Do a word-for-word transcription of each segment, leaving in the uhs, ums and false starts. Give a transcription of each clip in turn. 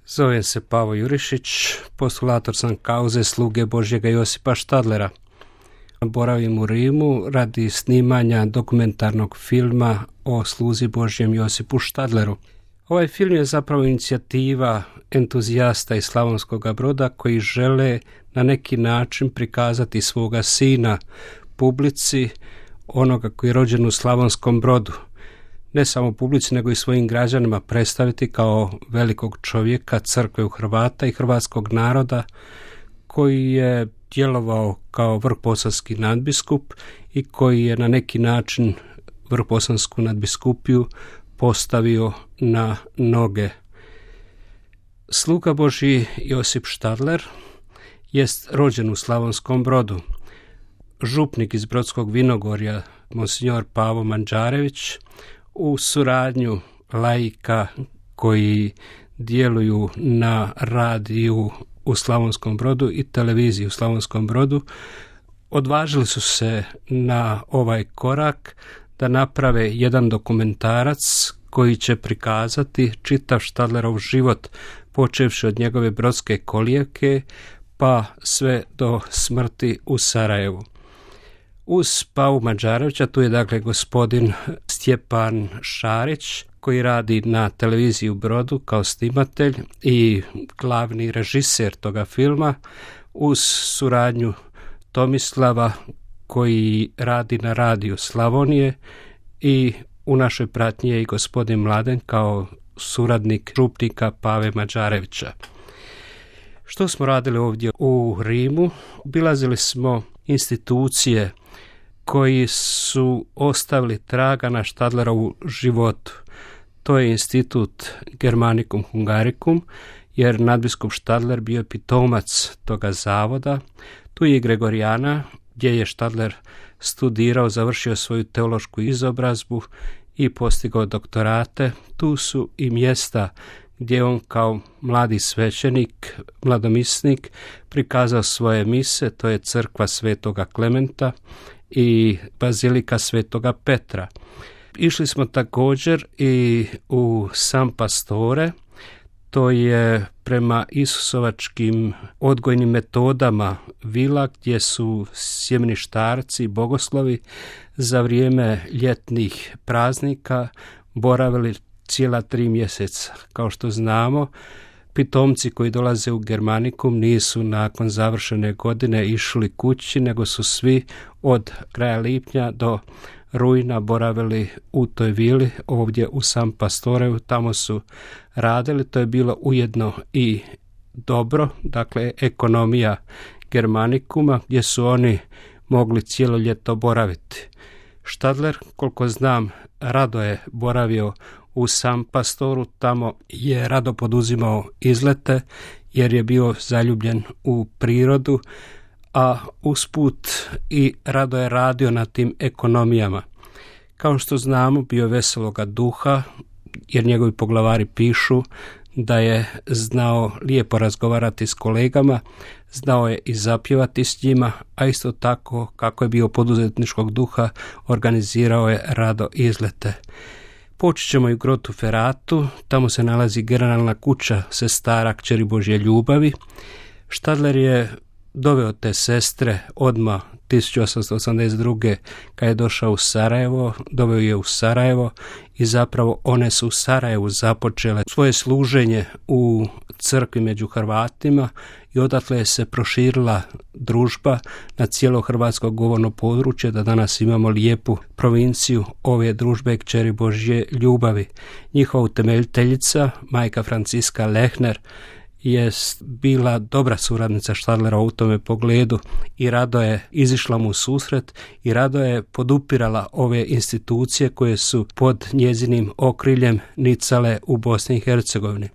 Zovem se Pavo Jurišić, postulator sam kauze sluge Božjega Josipa Štadlera. Boravim u Rimu radi snimanja dokumentarnog filma o sluzi Božjem Josipu Štadleru. Ovaj film je zapravo inicijativa entuzijasta iz Slavonskoga Broda koji žele na neki način prikazati svoga sina publici, onoga koji je rođen u Slavonskom Brodu. Ne samo publici, nego i svojim građanima predstaviti kao velikog čovjeka, crkve u Hrvata i hrvatskog naroda koji je djelovao kao vrhbosanski nadbiskup i koji je na neki način vrhbosansku nadbiskupiju postavio na noge. Sluga Božji Josip Štadler jest rođen u Slavonskom Brodu. Župnik iz Brodskog Vinogorja, monsignor Pavo Manđarević, u suradnju laika koji djeluju na radiju u Slavonskom Brodu i televiziji u Slavonskom Brodu, odvažili su se na ovaj korak da naprave jedan dokumentarac koji će prikazati čitav Štadlerov život, počevši od njegove brodske kolijevke pa sve do smrti u Sarajevu. Uz Pavu Manđarevića tu je dakle gospodin Stjepan Šarić koji radi na televiziji u Brodu kao snimatelj i glavni režiser toga filma, uz suradnju Tomislava koji radi na radiju Slavonije i u našoj pratnji je i gospodin Mladen kao suradnik župnika Pave Manđarevića. Što smo radili ovdje u Rimu? Obilazili smo institucije koji su ostavili traga na Štadlerovu životu. To je institut Germanicum Hungaricum, jer nadbiskup Štadler bio je pitomac toga zavoda. Tu je i Gregorijana, gdje je Štadler studirao, završio svoju teološku izobrazbu i postigao doktorate. Tu su i mjesta gdje on kao mladi svećenik, mladomisnik, prikazao svoje mise, to je crkva Svetoga Klementa i bazilika Svetoga Petra. Išli smo također i u San Pastore, to je prema isusovačkim odgojnim metodama vila gdje su sjemeništarci i bogoslovi za vrijeme ljetnih praznika boravili cijela tri mjeseca. Kao što znamo, pitomci koji dolaze u Germanicum nisu nakon završene godine išli kući, nego su svi od kraja lipnja do rujna boravili u toj vili ovdje u San Pastoreu. Tamo su radili, to je bilo ujedno i dobro, dakle ekonomija Germanicuma gdje su oni mogli cijelo ljeto boraviti. Štadler, koliko znam, rado je boravio u San Pastoru, tamo je rado poduzimao izlete jer je bio zaljubljen u prirodu, a usput i rado je radio na tim ekonomijama. Kao što znamo, bio veseloga duha, jer njegovi poglavari pišu da je znao lijepo razgovarati s kolegama, znao je i zapjevati s njima, a isto tako kako je bio poduzetničkog duha, organizirao je rado izlete. Počet ćemo i u Grotu Ferratu, tamo se nalazi generalna kuća sestara Kćeri Božje ljubavi. Štadler je doveo te sestre odmah tisuću osamsto osamdeset druge kad je došao u Sarajevo, doveo je u Sarajevo i zapravo one su u Sarajevu započele svoje služenje u crkvi među Hrvatima i odatle je se proširila družba na cijelo hrvatsko govorno područje, da danas imamo lijepu provinciju ove družbe Kćeri Božje ljubavi. Njihova utemeljiteljica, majka Franciska Lehner, je bila dobra suradnica Štadlera u tome pogledu i rado je izišla mu u susret i rado je podupirala ove institucije koje su pod njezinim okriljem nicale u Bosni i Hercegovini.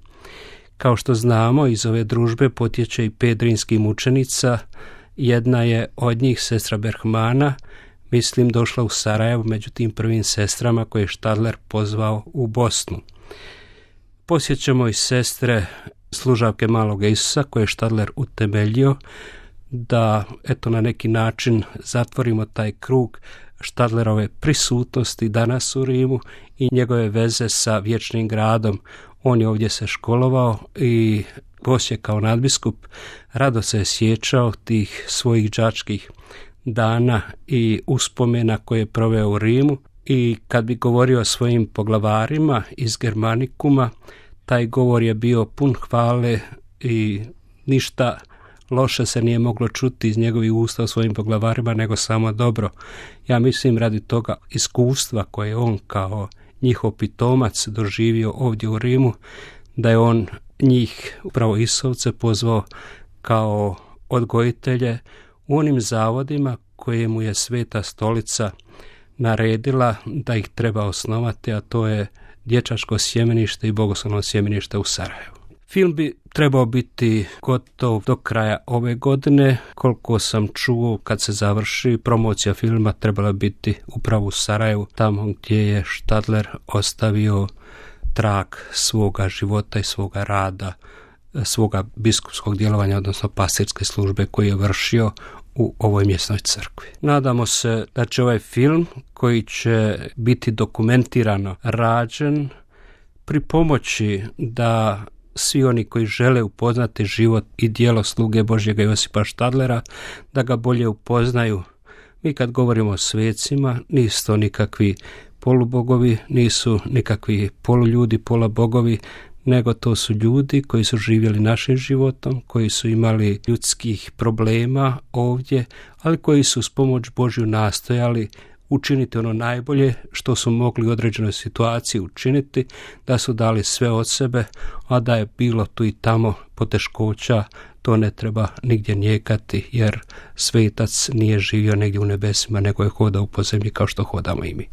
Kao što znamo, iz ove družbe potječe i pet rimskih mučenica. Jedna je od njih, sestra Berhmana, mislim došla u Sarajevo među tim prvim sestrama koje je Štadler pozvao u Bosnu. Posjećamo i sestre služavke Malog Isusa koje je Štadler utemeljio, da eto na neki način zatvorimo taj krug Stadlerove prisutnosti danas u Rimu i njegove veze sa vječnim gradom. On je ovdje se školovao i poslije kao nadbiskup rado se je sjećao tih svojih đačkih dana i uspomena koje je proveo u Rimu, i kad bi govorio o svojim poglavarima iz Germanikuma, taj govor je bio pun hvale i ništa loše se nije moglo čuti iz njegovih usta o svojim poglavarima, nego samo dobro. Ja mislim radi toga iskustva koje on kao njihov pitomac doživio ovdje u Rimu, da je on njih, upravo Isovce, pozvao kao odgojitelje u onim zavodima koje mu je Sveta Stolica naredila da ih treba osnovati, a to je dječačko sjemenište i bogoslovno sjemenište u Sarajevu. Film bi trebao biti gotov do kraja ove godine. Koliko sam čuo, kad se završi promocija filma, trebala biti upravo u Sarajevu, tamo gdje je Stadler ostavio trag svoga života i svoga rada, svoga biskupskog djelovanja, odnosno pastirske službe koju je vršio u ovoj mjesnoj crkvi. Nadamo se da će ovaj film, koji će biti dokumentirano rađen, pripomoći da svi oni koji žele upoznati život i djelo sluge Božjega Josipa Stadlera, da ga bolje upoznaju. Mi kad govorimo o svecima, nisu to nikakvi polubogovi, nisu nikakvi poluljudi, pola bogovi, nego to su ljudi koji su živjeli našim životom, koji su imali ljudskih problema ovdje, ali koji su s pomoć Božju nastojali učiniti ono najbolje što su mogli u određenoj situaciji učiniti, da su dali sve od sebe, a da je bilo tu i tamo poteškoća, to ne treba nigdje nijekati, jer svetac nije živio negdje u nebesima, nego je hodao po zemlji kao što hodamo i mi.